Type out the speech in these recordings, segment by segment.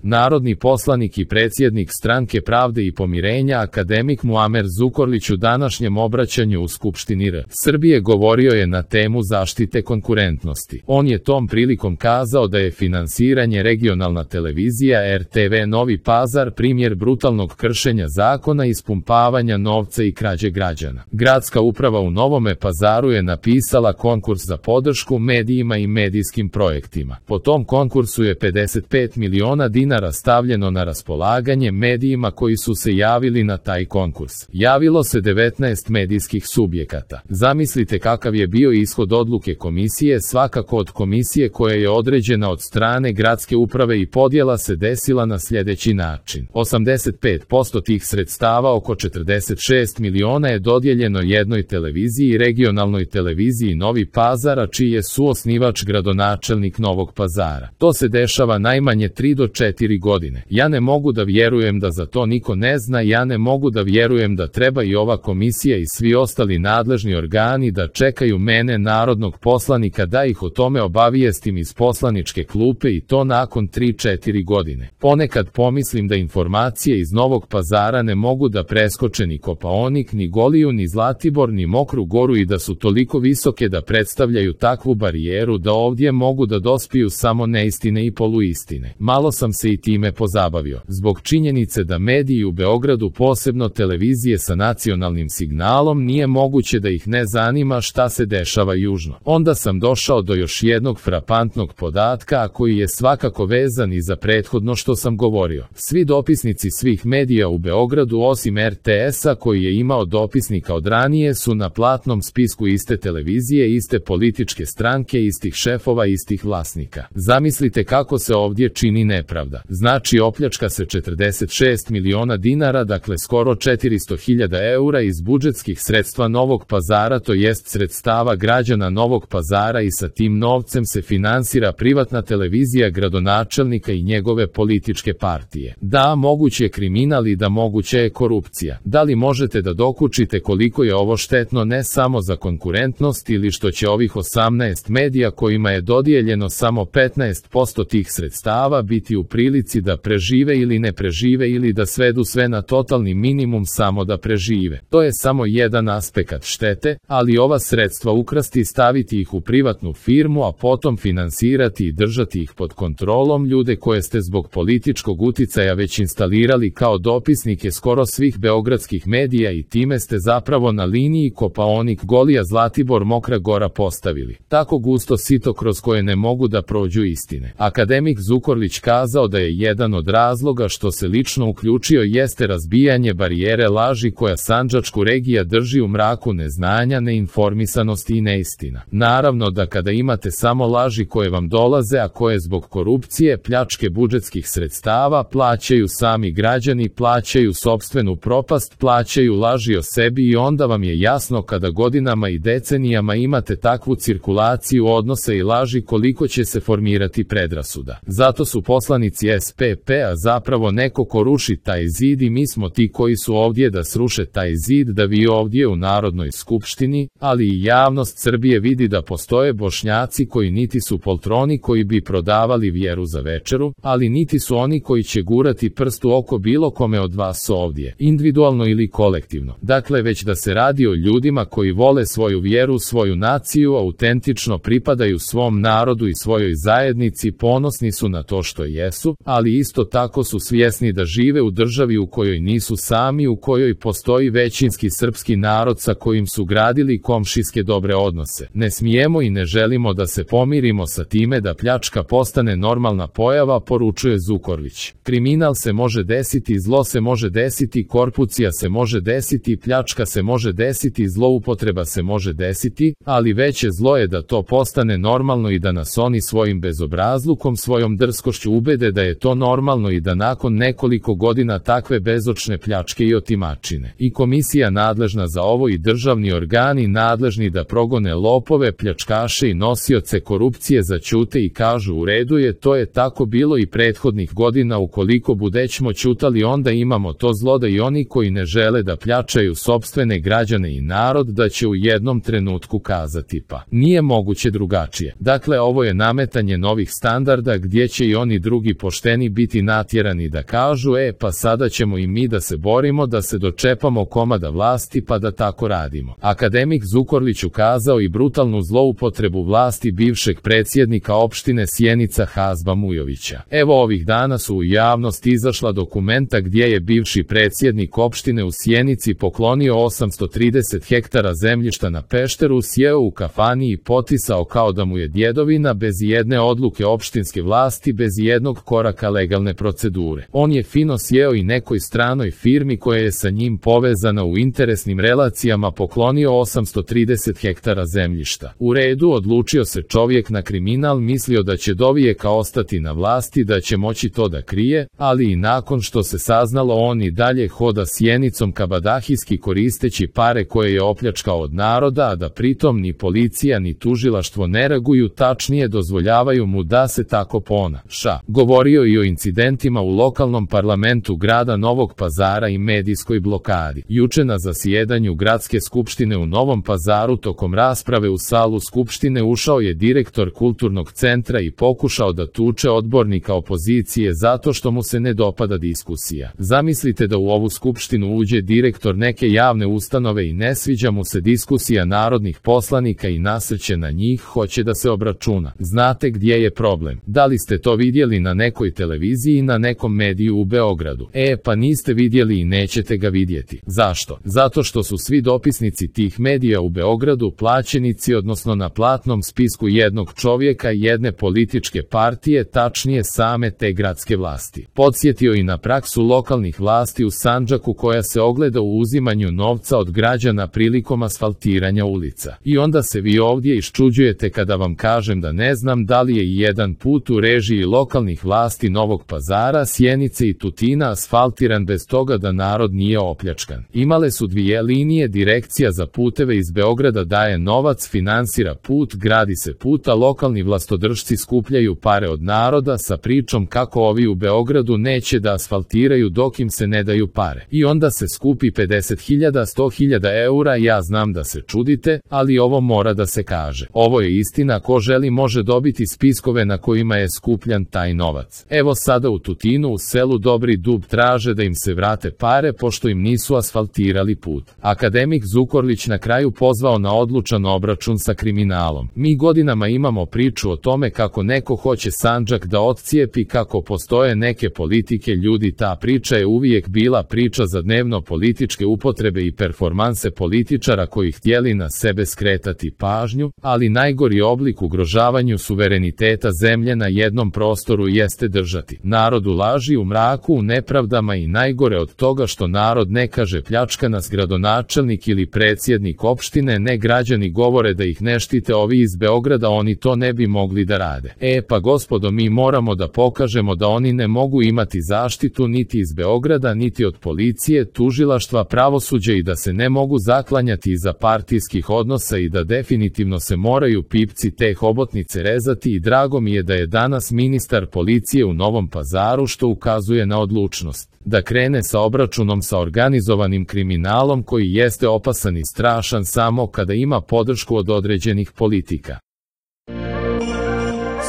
Narodni poslanik i predsjednik Stranke pravde i pomirenja akademik Muamer Zukorlić u današnjem obraćanju u Skupštini Srbije govorio je na temu zaštite konkurentnosti. On je tom prilikom kazao da je finansiranje regionalna televizija RTV Novi Pazar primjer brutalnog kršenja zakona, ispumpavanja novca i krađe građana. Gradska uprava u Novome Pazaru je napisala konkurs za podršku medijima i medijskim projektima. Po tom konkursu je 55 miliona dinara stavljeno na raspolaganje medijima koji su se javili na taj konkurs. Javilo se 19 medijskih subjekata. Zamislite kakav je bio ishod odluke komisije, svakako od komisije koja je određena od strane gradske uprave, i podjela se desila na sljedeći način. 85% tih sredstava, oko 46 miliona, je dodijeljeno jednoj televiziji, regionalnoj televiziji Novi Pazar, a čiji je suosnivač gradonačelnik Novog Pazara. To se dešava najmanje 3 do 4 godine. Ja ne mogu da vjerujem da za to niko ne zna, ja ne mogu da vjerujem da treba i ova komisija i svi ostali nadležni organi da čekaju mene, narodnog poslanika, da ih o tome obavijestim iz poslaničke klupe, i to nakon 3-4 godine. Ponekad pomislim da informacije iz Novog Pazara ne mogu da preskoče ni Kopaonik, ni Goliju, ni Zlatibor, ni Mokru Goru, i da su toliko visoke da predstavljaju takvu barijeru da ovdje mogu da dospiju samo neistine i poluistine. Malo sam se i time pozabavio. Zbog činjenice da mediji u Beogradu, posebno televizije sa nacionalnim signalom, nije moguće da ih ne zanima šta se dešava južno. Onda sam došao do još jednog frapantnog podatka, a koji je svakako vezan i za prethodno što sam govorio. Svi dopisnici svih medija u Beogradu, osim RTS-a koji je imao dopisnika od ranije, su na platnom spisku iste televizije, iste političke stranke, istih šefova, istih vlasnika. Zamislite kako se ovdje čini nepravda. Znači opljačka se 46 miliona dinara, dakle skoro 400.000 eura iz budžetskih sredstva Novog Pazara, to jest sredstava građana Novog Pazara, i sa tim novcem se finansira privatna televizija gradonačelnika i njegove političke partije. Da, moguće je kriminal i da moguće je korupcija. Da li možete da dokučite koliko je ovo štetno ne samo za konkurentnost, ili što će ovih 18 medija kojima je dodijeljeno samo 15% tih sredstava biti u prilici da prežive ili ne prežive, ili da svedu sve na totalni minimum samo da prežive. To je samo jedan aspekt štete, ali ova sredstva ukrasti i staviti ih u privatnu firmu, a potom finansirati i držati ih pod kontrolom, ljude koje ste zbog političkog uticaja već instalirali kao dopisnike skoro svih beogradskih medija, i time ste zapravo na liniji Kopaonik, Golija, Zlatibor, Mokra Gora postavili tako gusto sito kroz koje ne mogu da prođu istine. Akademik Zukorlić kazao da je jedan od razloga što se lično uključio jeste razbijanje barijere laži koja sandžačku regija drži u mraku neznanja, neinformisanosti i neistina. Naravno da kada imate samo laži koje vam dolaze, a koje zbog korupcije, pljačke budžetskih sredstava plaćaju sami građani, plaćaju sopstvenu propast, plaćaju laži o sebi, i onda vam je jasno kada godinama i decenijama imate takvu cirkulaciju odnosa i laži koliko će se formirati predrasuda. Zato su poslanici SPP-a zapravo neko ko ruši taj zid, i mi smo ti koji su ovdje da sruše taj zid, da vi ovdje u Narodnoj skupštini, ali i javnost Srbije vidi da postoje Bošnjaci koji niti su poltroni koji bi prodavali vjeru za večeru, ali niti su oni koji će gurati prst u oko bilo kome od vas ovdje, individualno ili kolektivno. Dakle, već da se radi o ljudima koji vole svoju vjeru, svoju naciju, autentično pripadaju svom narodu i svojoj zajednici, ponosni su na to što jesu, ali isto tako su svjesni da žive u državi u kojoj nisu sami, u kojoj postoji većinski srpski narod sa kojim su gradili komšijske dobre odnose. Ne smijemo i ne želimo da se pomirimo sa time da pljačka postane normalna pojava, poručuje Zukorlić. Kriminal se može desiti, zlo se može desiti, korupcija se može desiti, pljačka se može desiti, zloupotreba se može desiti, ali veće zlo je da to postane normalno i da nas oni svojim bezobrazlukom, svojom drskošću ubede da je to normalno, i da nakon nekoliko godina takve bezočne pljačke i otimačine i komisija nadležna za ovo i državni organi nadležni da progone lopove, pljačkaše i nosioce korupcije zaćute i kažu u redu je, to je tako bilo i prethodnih godina, ukoliko budećmo ćutali onda imamo to zlo da i oni koji ne žele da pljačaju sopstvene građane i narod da će u jednom trenutku kazati pa nije moguće drugačije. Dakle, ovo je nametanje novih standarda gdje će i oni drugi pošteni biti natjerani da kažu, pa sada ćemo i mi da se borimo da se dočepamo komada vlasti pa da tako radimo. Akademik Zukorlić ukazao i brutalnu zloupotrebu vlasti bivšeg predsjednika opštine Sjenica Hazba Mujovića. Evo ovih dana su u javnost izašla dokumenta gdje je bivši predsjednik opštine u Sjenici poklonio 830 hektara zemljišta na Pešteru, sjeo u kafani i potisao kao da mu je djedovina bez jedne odluke opštinske vlasti, bez jednog koraka legalne procedure. On je fino sjeo i nekoj stranoj firmi koja je sa njim povezana u interesnim relacijama poklonio 830 hektara zemljišta. U redu, odlučio se čovjek na kriminal, mislio da će dovijeka ostati na vlasti, da će moći to da krije, ali i nakon što se saznalo on i dalje hoda Sjenicom kabadahijski koristeći pare koje je opljačkao od naroda, a da pritom ni policija ni tužilaštvo ne reaguju, tačnije dozvoljavaju mu da se tako ponaša. Govorio i o incidentima u lokalnom parlamentu grada Novog Pazara i medijskoj blokadi. Juče na zasjedanju gradske skupštine u Novom Pazaru tokom rasprave u salu skupštine ušao je direktor kulturnog centra i pokušao da tuče odbornika opozicije zato što mu se ne dopada diskusija. Zamislite da u ovu skupštinu uđe direktor neke javne ustanove i ne sviđa mu se diskusija narodnih poslanika i nasrće na njih, hoće da se obračuna. Znate gdje je problem? Da li ste to vidjeli na nekoj televiziji, na nekom mediju u Beogradu? Pa niste vidjeli i nećete ga vidjeti. Zašto? Zato što su svi dopisnici tih medija u Beogradu plaćenici, odnosno na platnom spisku jednog čovjeka i jedne političke partije, tačnije same te gradske vlasti. Podsjetio i na praksu lokalnih vlasti u Sandžaku koja se ogleda u uzimanju novca od građana prilikom asfaltiranja ulica. I onda se vi ovdje iščuđujete kada vam kažem da ne znam da li je i jedan put u režiji lokalnih vlasti Novog Pazara, Sjenice i Tutina asfaltiran bez toga da narod nije opljačkan. Imale su dvije linije, direkcija za puteve iz Beograda daje novac, finansira put, gradi se put, a lokalni vlastodržci skupljaju pare od naroda sa pričom kako ovi u Beogradu neće da asfaltiraju dok im se ne daju pare. I onda se skupi 50.000, 100.000 eura, ja znam da se čudite, ali ovo mora da se kaže. Ovo je istina, ko želi može dobiti spiskove na kojima je skupljan taj novac. Evo sada u Tutinu u selu Dobri Dub traže da im se vrate pare pošto im nisu asfaltirali put. Akademik Zukorlić na kraju pozvao na odlučan obračun sa kriminalom. Mi godinama imamo priču o tome kako neko hoće Sandžak da odcijepi, kako postoje neke politike ljudi, ta priča je uvijek bila priča za dnevno političke upotrebe i performanse političara koji htjeli na sebe skretati pažnju, ali najgori oblik ugrožavanju suvereniteta zemlje na jednom prostoru jeste držati narod u laži, u mraku, u nepravdama i najgore od toga što narod ne kaže pljačka nas gradonačelnik ili predsjednik opštine, ne, građani govore da ih ne štite ovi iz Beograda, oni to ne bi mogli da rade. Pa gospodo, mi moramo da pokažemo da oni ne mogu imati zaštitu niti iz Beograda, niti od policije, tužilaštva, pravosuđa i da se ne mogu zaklanjati iza partijskih odnosa i da definitivno se moraju pipci te hobotnice rezati i drago mi je da je danas ministar policije u Novom Pazaru što ukazuje na odlučnost da krene sa obračunom sa organizovanim kriminalom koji jeste opasan i strašan samo kada ima podršku od određenih politika.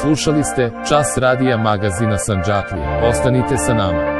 Slušali ste Čas radija magazina Sandžaklije. Ostanite sa nama.